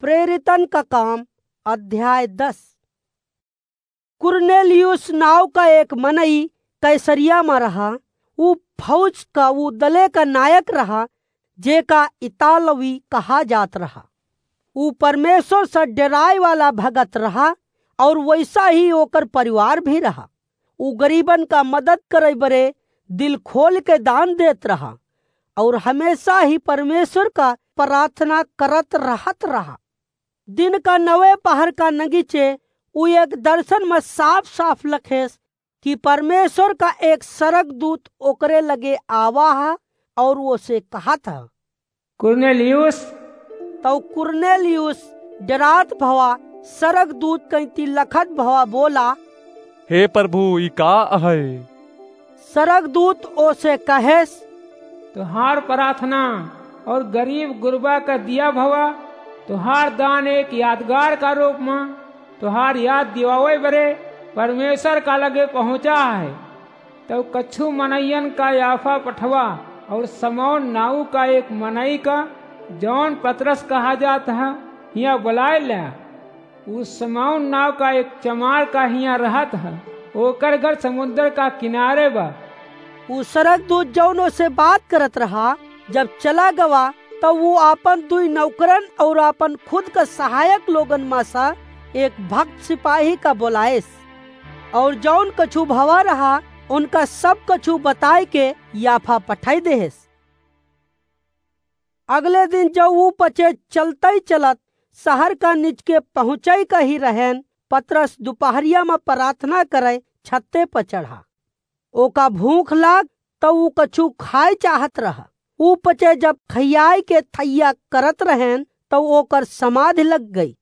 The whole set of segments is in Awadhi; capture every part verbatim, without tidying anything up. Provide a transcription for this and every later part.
प्रेरितन का काम, अध्याय दस। कुरनेलियुस नाव का एक मनई कैसरिया मा रहा। ऊ फौज का ऊ दले का नायक रहा, जेका इतालवी कहा जात रहा। ऊ परमेश्वर से डेराए वाला भगत रहा, और वैसा ही ओकर परिवार भी रहा। ऊ गरीबन का मदद करे बरे दिल खोल के दान देत रहा, और हमेशा ही परमेश्वर का प्रार्थना करत रहत रहा। दिन का नवे पहर का नगीचे ऊ एक दर्शन में साफ साफ लखेस कि परमेश्वर का एक सरगदूत ओकरे लगे आवा हा और ओसे कहत हा, कुरनेलियुस। तौ कुरनेलियुस डेरात भवा सरगदूत कैंती लखत भवा बोला, हे प्रभु, ई का अहै? सरगदूत ओसे कहेस, तोहार प्रार्थना और गरीब गुरबा का दिया भवा, तोहार दान एक यादगार का रूप मा तोहार याद दिवावे बरे परमेश्वर का लगे पहुँचा है। तौ कछु मनइयन का याफा पठवा और समौन नाऊ का एक मनई का, जौन पतरस कहा जात है, हियाँ बुलाए ल्या। ऊ समौन नाव का एक चमार का हियाँ रहत ह, ओकर घर समुंदर का किनारे बा। ऊ सरगदूत जौन ओसे बात करत रहा, जब चला गवा, तब ऊ आपन दुई नौकरन और आपन खुद का सहायक लोगन मा सा एक भक्त सिपाही का बोलाएस, और जौन कछु भवा रहा, उनका सब कछु बताए के याफा पठाई देहेस। अगले दिन जब ऊ पचे चलतई चलत शहर का निचके पहुँचई का ही रहेन, पतरस दुपहरिया मा प्रार्थना करे छत्ते पर चढ़ा। ओका भूख लाग, तब ऊ कछु खाए चाहत रहा। ऊ पचे जब खियाए के थैया करत रहेन, तब ओकर समाधि लग गई।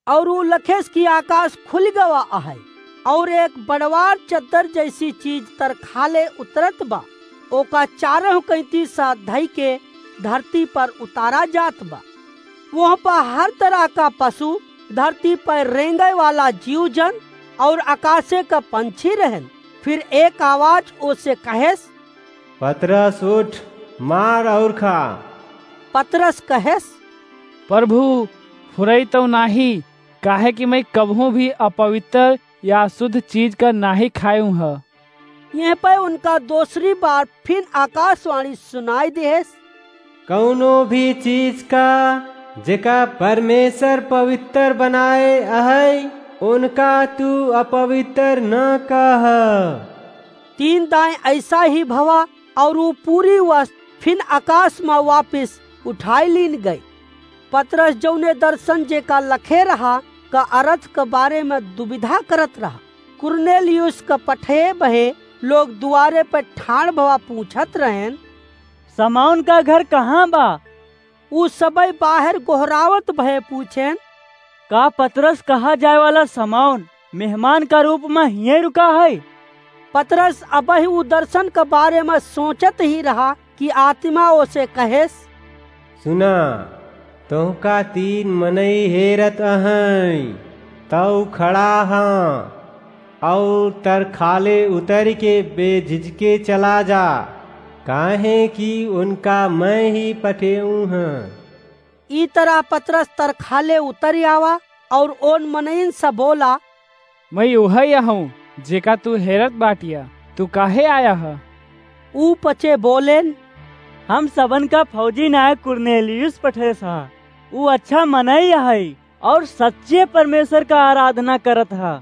और ऊ लखेस कि आकाश खुल गवा अहै, और एक बड़वार चद्दर जैसी चीज तरखाले उतरत बा, ओका चारों कैंती सा धई के धरती पर उतारा जात बा। वह पर हर तरह का पशु, धरती पर रेंगे वाला जीव जन और आकाशे का पंछी रहन। फिर एक आवाज ओसे कहेस, पतरस उठ, मार और खा। पतरस कहेस, प्रभु, फुरई तौ नाही, काहे कि मैं कबहूँ भी अपवित्र या अशुद्ध चीज का नाही खायूँ ह। यह पे उनका दूसरी बार फिन आकाशवाणी सुनाई देहेस, कौनो भी चीज का जेका परमेश्वर पवित्र बनाए अहै, उनका तू अपवित्र न कह। तीन दाएं ऐसा ही भवा और ऊ पूरी वस्त फिन आकाश मा वापिस उठाई लीन गई। पतरस जौने दर्शन जेका लखे रहा का अर्थ के बारे में दुविधा करत रहा। कुरनेलियुस का पठे बहे लोग दुआरे पे ठाड़ भवा पूछत रहेन, समौन का घर कहाँ बा? ऊ सबई बाहर गोहरावत भए पूछेन, का पतरस कहा जाए वाला समौन मेहमान का रूप में हिये रुका है? पतरस अबही ऊ दर्शन के बारे में सोचत ही रहा कि आत्मा ओसे कहेस, सुना, तोहका तीन मनई हेरत अहैं, तौ खड़ा हाँ, और तरखाले उतर के बेझिझके चला जा, काहे कि उनका मैं ही पठेऊ हूँ। ई तरह पतरस तरखाले उतर आवा और ओन मनइन से बोला, मैं उहै अहूँ, जेका तू हेरत बाटिया, तू काहे आया ह? ऊ पचे बोलेन, हम सबन का फौजी नायक कुरनेलियुस पठेस हा, ऊ अच्छा मनई अहै और सच्चे परमेश्वर का आराधना करत हा।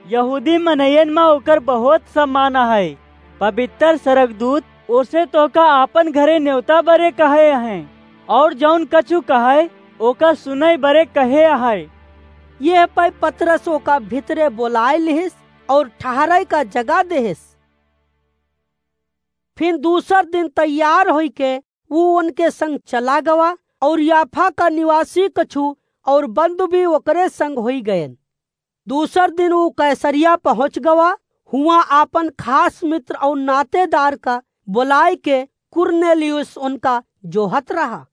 यहूदी मनइयन मा ओकर बहुत सम्मान अहै। पवित्र सरगदूत ओसे तोहका आपन घरे नेवता बरे कहे अहैं, और जौन कछु कहै, ओका सुनै बरे कहे अहै। यह पै पतरस ओका भितरे बोलाए लिहिस और ठहरै का जगह देहिस। फिर दूसर दिन तैयार होइके ऊ उनके संग चला गवा, और याफा का निवासी कछु और बंधु भी ओकरे संग होई गएन। दूसर दिन ऊ कैसरिया पहुँच गवा। हुआं आपन खास मित्र और नातेदार का बोलाए के कुरनेलियुस उनका जोहत रहा।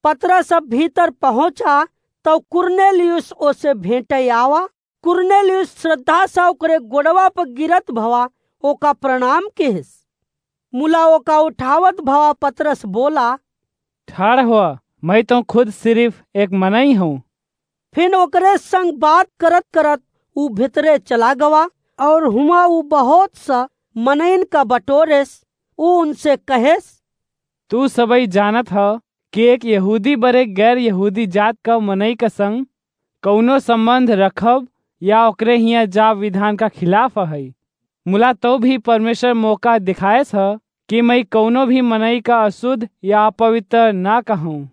पतरस अब भीतर पहुँचा, तब कुरनेलियुस ओसे भेंटे आवा। कुरनेलियुस श्रद्धा से ओकरे गोड़वा पर गिरत भवा ओका प्रणाम किहिस। मुला ओका उठावत भवा पतरस बोला, ठाड़ हुआ, मैं तो खुद सिर्फ एक मनई हूँ, फिन ओकरे संग बात करत करत ऊ भितरे चला गवा, और हुआं ऊ बहुत सा मनइन का बटोरेस। ऊ उनसे कहेस, तू सबई जानत ह कि एक यहूदी बरे गैर यहूदी जात का मनई का संग कउनो संबंध रखब या ओकरे हियां जाब विधान का खिलाफ हई। मुला तो भी परमेश्वर मौका दिखायस ह कि मैं कउनो भी मनई का अशुद्ध या अपवित्र ना कहूं।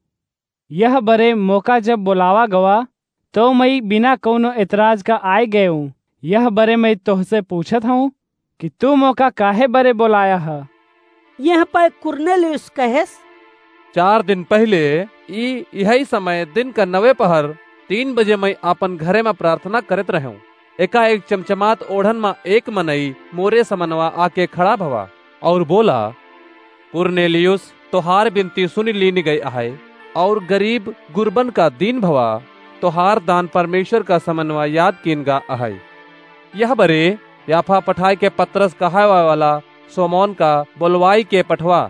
यह बरे मौका जब बोलावा गवा, तो मैं बिना कउनो एतराज का आय गयूं। यह बरे मैं तोहसे पूछत हूं कि तू मौका काहे बरे बोलाया ह? यह पै कुरनेलियुस कहेस, चार दिन पहिले ई इहई समय दिन का नवे पहर तीन बजे मैं आपन घरे में प्रार्थना करत रहूं। एकाएक चमचमात ओढ़न में एक मनई मोरे समनवा आके खड़ा भवा और बोला, कुरनेलियुस, तोहार बिनती सुनि लीन गई अहै, और गरीब गुरबन का दीन भवा, तोहार दान परमेश्वर का समनवा याद कीन गा अहै। यह बरे याफा पठाए के पतरस कहावे वाला सोमोन का बोलवाई के पठवा।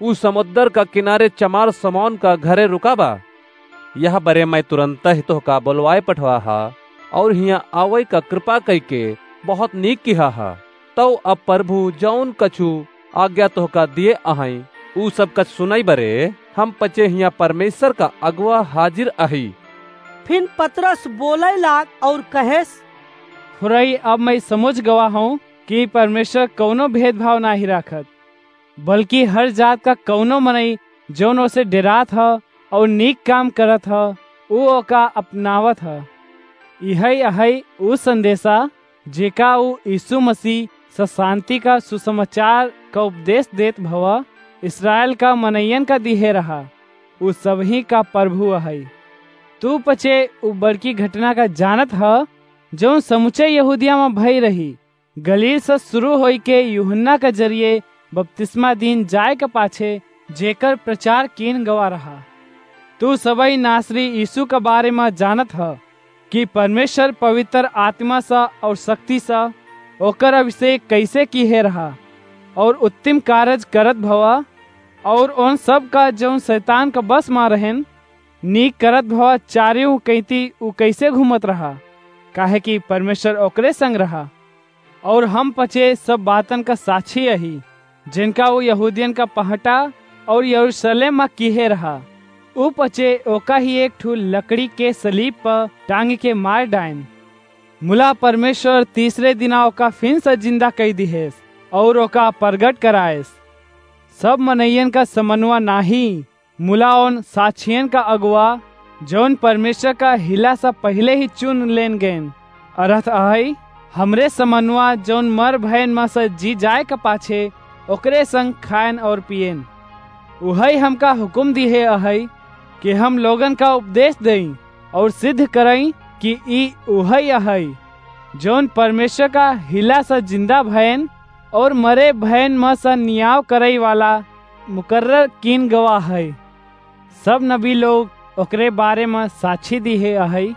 ऊ समुद्र का किनारे चमार सोमोन का घरे रुका बा। यह बरे मैं तुरंत ही तोहका बोलवाए पठवा हा, और हियां आवै का कृपा कई के बहुत नीक किहा हा। तौ अब प्रभु जौन कछु आज्ञा तोहका दिए अहई, ऊ सब कछ सुनई बरे हम पचे हियां परमेश्वर का अगुआ हाजिर अही। फिन पतरस बोलै लाग और कहेस, फुरई, अब मैं समुझ गवा हूं कि परमेश्वर कउनो भेदभाव नाही राखत, बल्कि हर जात का कउनो मनई जौन ओसे डेरात ह और नीक काम करत ह, ऊ ओका अपनावत ह। इहई अहई ऊ संदेशा जेका ऊ यीशु मसीह स शांति का सुसमाचार का उपदेश देत भवा इस्राएल का मनइयन का दिहे रहा। ऊ सबही का प्रभु अहई। तू पचे ऊ बड़की घटना का जानत ह, जौन समुचे यहूदिया में भई रही। गलील से शुरू होई के यूहन्ना के जरिए बपतिस्मा दीन जाए के पाछे जेकर प्रचार कीन गवा रहा। तू सबई नासरी यीशु के बारे में जानत ह कि परमेश्वर पवित्र आत्मा से और शक्ति से ओकर अभिषेक कैसे किहे रहा और उत्तम कारज करत भवा और उन सब का जौन शैतान के बस में रहेन नीक करत भवा चारियों कैती ऊ कैसे घूमत रहा, काहे कि परमेश्वर ओकरे संग रहा। और हम पचे सब बातन का साक्षी अही, जिनका ऊ यहूदियन का पहटा और यरूशलेम में किहे रहा। ऊ पचे ओका ही एक ठू लकड़ी के सलीब पर टांग के मार डायन। मुला परमेश्वर तीसरे दिना ओका फिन से जिंदा कई दिहेस और ओका प्रगट कराएस। सब मनइयन का समनुआ नाही, मुला उन साक्षियन का अगुआ, जौन परमेश्वर का हिला से पहिले ही चुन लेन गएन। अरथ अहई, हमरे समनुआ, जौन मर भयन में से जी जाए के पाछे, ओकरे संग खाएन और पिएन। उहई हमका हुकुम दिहे अहई कि हम लोगन का उपदेश देई और सिद्ध करई कि ई उहई अहई, जौन परमेश्वर का हिला से जिंदा भयन और मरे भयन में से नियाव करई वाला मुकर्रर कीन गवा है। सब नबी लोग ओकरे बारे में साक्षी दिहे अहई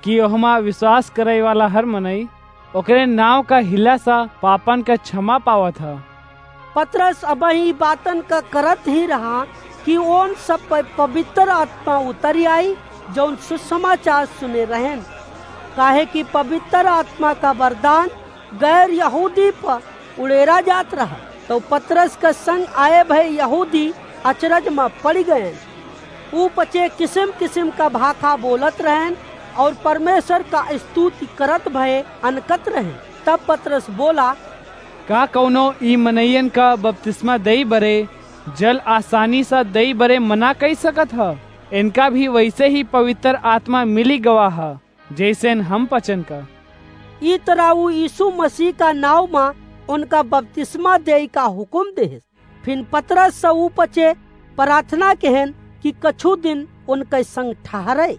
कि ओहमा विश्वास करई वाला हर मनई ओकरे नाव का हिला से पापन का क्षमा पावत ह। पतरस अबही बातन का करत ही रहा कि ओन सब पर पवित्र आत्मा उतरी आई, जौन सुसमाचार सुने रहेन, काहे कि पवित्र आत्मा का वरदान गैर यहूदी पर उड़ेरा जात रहा। तो पतरस के संग आए भए यहूदी अचरज में पड़ गएन। ऊ पचे किसिम किसिम का भाखा बोलत रहेन और परमेश्वर का स्तुति करत भए अनकत रहेन। तब पतरस बोला, का कौनो ई मनइयन का बपतिस्मा दई बरे जल आसानी से दई बरे मना कई सकत ह? इनका भी वैसे ही पवित्र आत्मा मिली गवा ह, जैसेन हम पचन का। ई तरह ऊ यीशु मसीह का नाव मा उनका बपतिस्मा देई का हुकुम देहेस। फिन पतरस से ऊ पचे प्रार्थना केहेन कि कछु दिन उनके संग ठहरे।